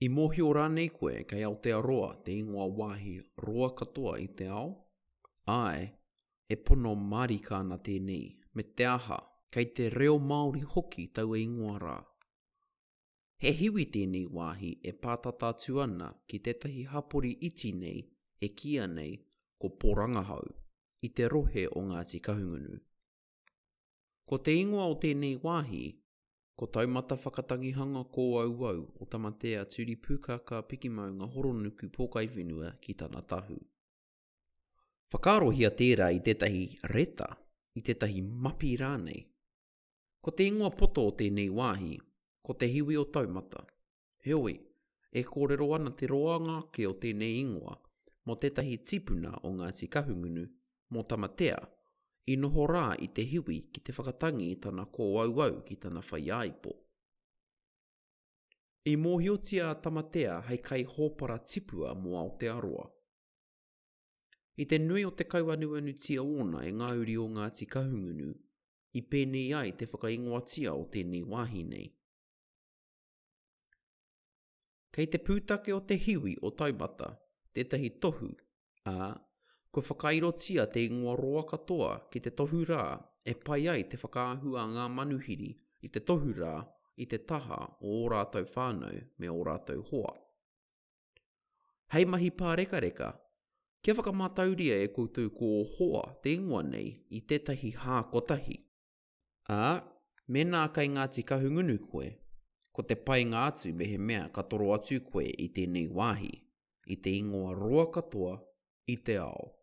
I mōhio rānei koe kei Aotearoa te ingoa wāhi roa katoa i te ao? Āe, e pono mārika ana tēnei, me te aha, kei te reo Māori hoki taua ingoa rā. He hiwi tēnei wāhi e pātata atu ana ki tētahi hapori iti nei e kīia nei ko Pōrangahau, i te rohe o Ngāti Kahungunu. Ko te ingoa o tēnei wāhi, ko Taumata Whakatangihanga Kōauau o Tamatea Turipūkākā Pikimaunga Horonuku Pōkaiwhenua ki tana tahu. Whakaarohia tērā i tētahi reta, i tētahi mapi rānei. Ko te ingoa poto o tēnei wāhi, ko Te Hiwi o Taumata. Heoi, e kōrero ana te roanga ake o tēnei ingoa mō tētahi tipuna o Ngāti Kahungunu, mō Tamatea, i noho rā i te hiwi ki te whakatangi i tana kōauau ki tana whaiāipo. I mōhiotia a Tamatea hei kaihōpara tipua mō Aotearoa. I te nui o te kauanuanutia ōna e ngā uri o Ngāti Kahungunu, i pēnei ai te whakaingoatia o tēnei wāhi nei. Kei te pūtake o te hiwi o Taumata tētahi tohu, ā, kua whakairotia te ingoa roa katoa ki te tohu rā e pai ai te whakaahua a ngā manuhiri i te tohu rā i te taha o ō rātou whānau me ō rātou hoa. Hei mahi pārekareka, kia whakamātauria e koutou ko ō hoa te ingoa nei i tētahi hā kotahi. Ā, mēnā kei Ngāti Kahungunu koe, ko te painga atu mehemea ka toro atu koe i tēnei wāhi, i te ingoa roa katoa i te ao.